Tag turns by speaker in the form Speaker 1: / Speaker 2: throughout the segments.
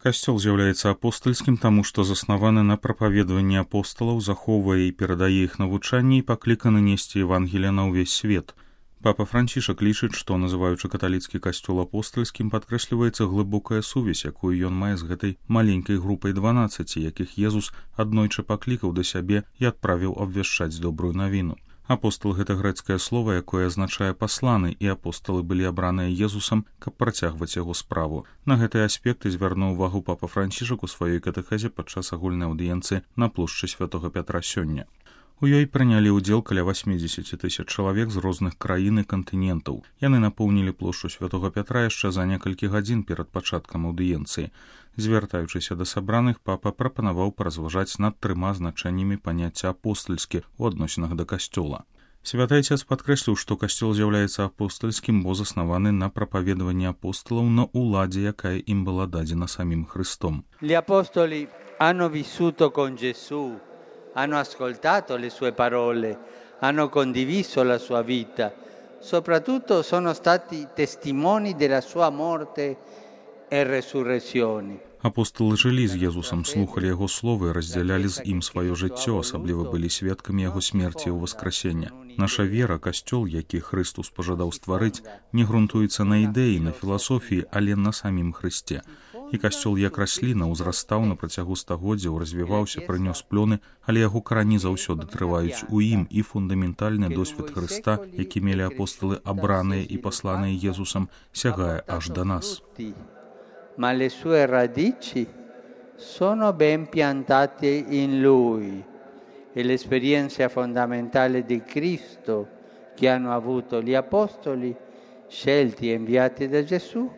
Speaker 1: Касцёл з'яўляецца апостальскім, таму што заснаваны на прапаведаванні апосталаў, захоўвае і перадае іх навучанне і пакліканы несці Евангелія на ўвесь свет. Папа Францішак лічыць, што, называючы каталіцкі касцёл апостальскім, падкрэсліваецца глыбокая сувязь, якую ён мае з гэтай маленькай групай 12, якіх Езус аднойчы паклікаў да сябе і адправіў абвяшчаць добрую навіну. Апостал — гэта грэцкае слова, якое азначае пасланы, і апосталы былі абраныя Езусам, каб працягваць яго справу. На гэтыя аспекты звярнуў увагу папа Францішак у сваёй катэхезе падчас агульнай аўдыенцыі на плошчы Святога Пятра сёння. У ёй прынялі ўдзел каля 80 000 чалавек з розных краін і кантынентаў. Яны напоўнілі плошчу Святога Пятра яшчэ за некалькі гадзін перад пачаткам аўдыенцыі. Звяртаючыся да сабраных, папа прапанаваў паразважаць над 3 значэннямі паняцця апостальскі ў адносінах да касцёла. Святы Отец падкрэсліў, што касцёл з'яўляецца апостальскім, бо заснаваны на прапаведаванні апосталаў на ўладзе, якая ім была дадзена самім Христом.
Speaker 2: Gli apostoli hanno vissuto con Gesù, hanno ascoltato le sue parole, hanno condiviso la sua vita, soprattutto sono stati testimoni della sua morte e resurrezione.
Speaker 1: Апосталы жылі з Езусам, слухалі яго словы, раздзялялі з ім сваё жыццё, асабліва былі сведкамі яго смерці і ўваскрасення. Наша вера, касцёл, які Христус пажадаў стварыць, не грунтуецца на ідэі, на філасофіі, але на самім Христе. І касцёл як расліна ўзрастаў на працягу стагоддзяў, развіваўся, прынёс плёны, але яго карані заўсёды трываюць у ім, і фундаментальны досвед Хрыста, які мелі апосталы, абраныя і пасланыя Езусам, сягае аж да нас.
Speaker 2: Ma le sue radici sono ben piantate in Lui e l'esperienza fondamentale di Cristo che hanno avuto gli apostoli, scelti e inviati da Gesù,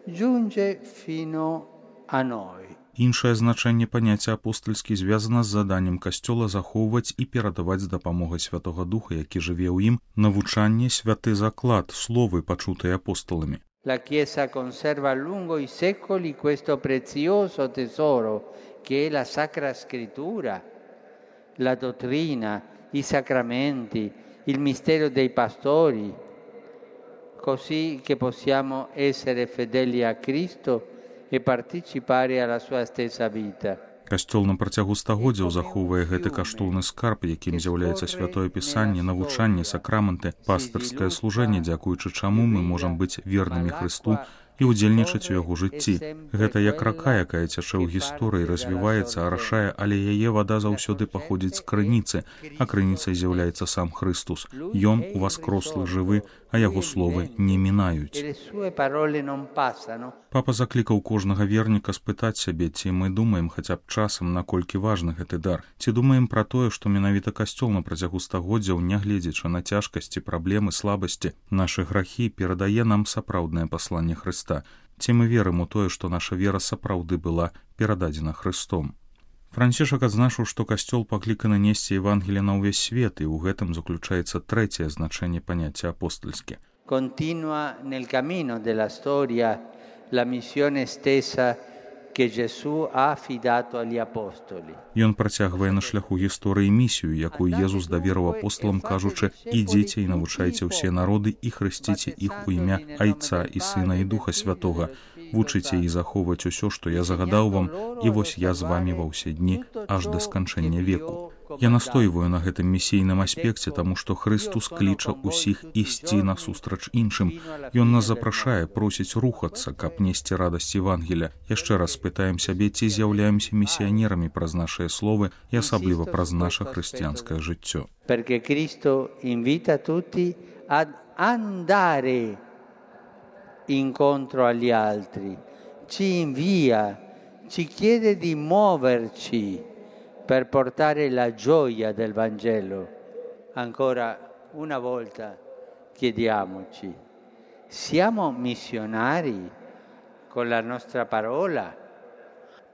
Speaker 2: giunge fino a noi.
Speaker 1: Іншае значэнне паняцця апостальскі звязана з заданнем касцёла захоўваць і перадаваць з дапамогай Святога Духа, які жыве ў ім, навучанне, святы заклад, словы, пачутыя апосталамі.
Speaker 2: La Chiesa conserva lungo i secoli questo prezioso tesoro che è la Sacra Scrittura, la dottrina, i sacramenti, il mistero dei pastori, così che possiamo essere fedeli a Cristo e partecipare alla sua stessa vita.
Speaker 1: Касцёл на працягу стагоддзяў захоўвае гэты каштоўны скарб, якім з'яўляецца святое пісанне, навучанне, сакраменты, пастырскае служэнне, дзякуючы чаму мы можам быць вернымі Хрысту і ўдзельнічаць у яго жыцці. Гэта як рака, якая цячэ ў гісторыі, развіваецца, арашае, але яе вада заўсёды паходзіць з крыніцы, а крыніцай з'яўляецца сам Христус. Ён уваскрослы жывы, а яго словы не мінаюць. Папа заклікаў кожнага верніка спытаць сябе, ці мы думаем хаця б часам, наколькі важны гэты дар. Ці думаем пра тое, што менавіта касцёл на працягу стагоддзяў, нягледзячы на цяжкасці, праблемы, слабасці, нашы грахі, перадае нам сапраўднае пасланне Хрыста. Ці мы верым у тое, што наша вера сапраўды была перададзена Хрыстом. Францішак адзначыў, што касцёл пакліканы несці Евангелие на ўвесь свет, і ў гэтым заключаецца трэцяе значэнне паняцця апостальскі.
Speaker 2: Continua nel cammino della storia la missione stessa che Gesù ha affidato agli apostoli.
Speaker 1: Ён працягвае на шляху гісторыі місію, якую Езус даверыў апосталам, кажучы: «Ідзіце і навучайце ўсе народы і хрысціце іх у імя Айца і Сына і Духа Святога. Вучыце і захоўваць усё, што я загадаў вам, і вось я з вамі ва ўсе дні, аж да сканчэння веку». Я настойваю на гэтым місійным аспекце, таму што Христус кліча ўсіх ісці насустрач іншым. Ён нас запрашае, просіць рухацца, каб несці радасць Евангеля. Яшчэ раз спытаем сябе, ці з'яўляемся місіянерамі праз нашыя словы і асабліва праз наша хрысціянскае жыццё.
Speaker 2: Perché Cristo invita tutti ad andare incontro agli altri, ci invia, ci chiede di muoverci per portare la gioia del Vangelo. Ancora una volta chiediamoci: siamo missionari con la nostra parola,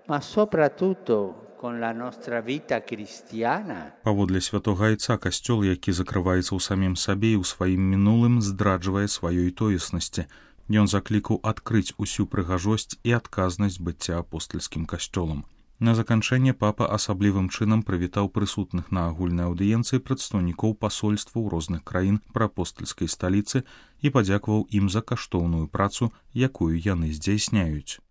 Speaker 2: ma soprattutto con la nostra vita cristiana?
Speaker 1: Паводле святога Айца, касцёл, які закрываецца ў самім сабе і ў сваім мінулым, здраджвае сваёй тоеснасці. Ён заклікаў адкрыць усю прыгажосць і адказнасць быцця апостальскім касцёлам. На заканчэнне папа асаблівым чынам прывітаў прысутных на агульнай аўдыенцыі прадстаўнікоў пасольстваў розных краін пры апостальскай сталіцы і падзякаваў ім за каштоўную працу, якую яны здзяйсняюць.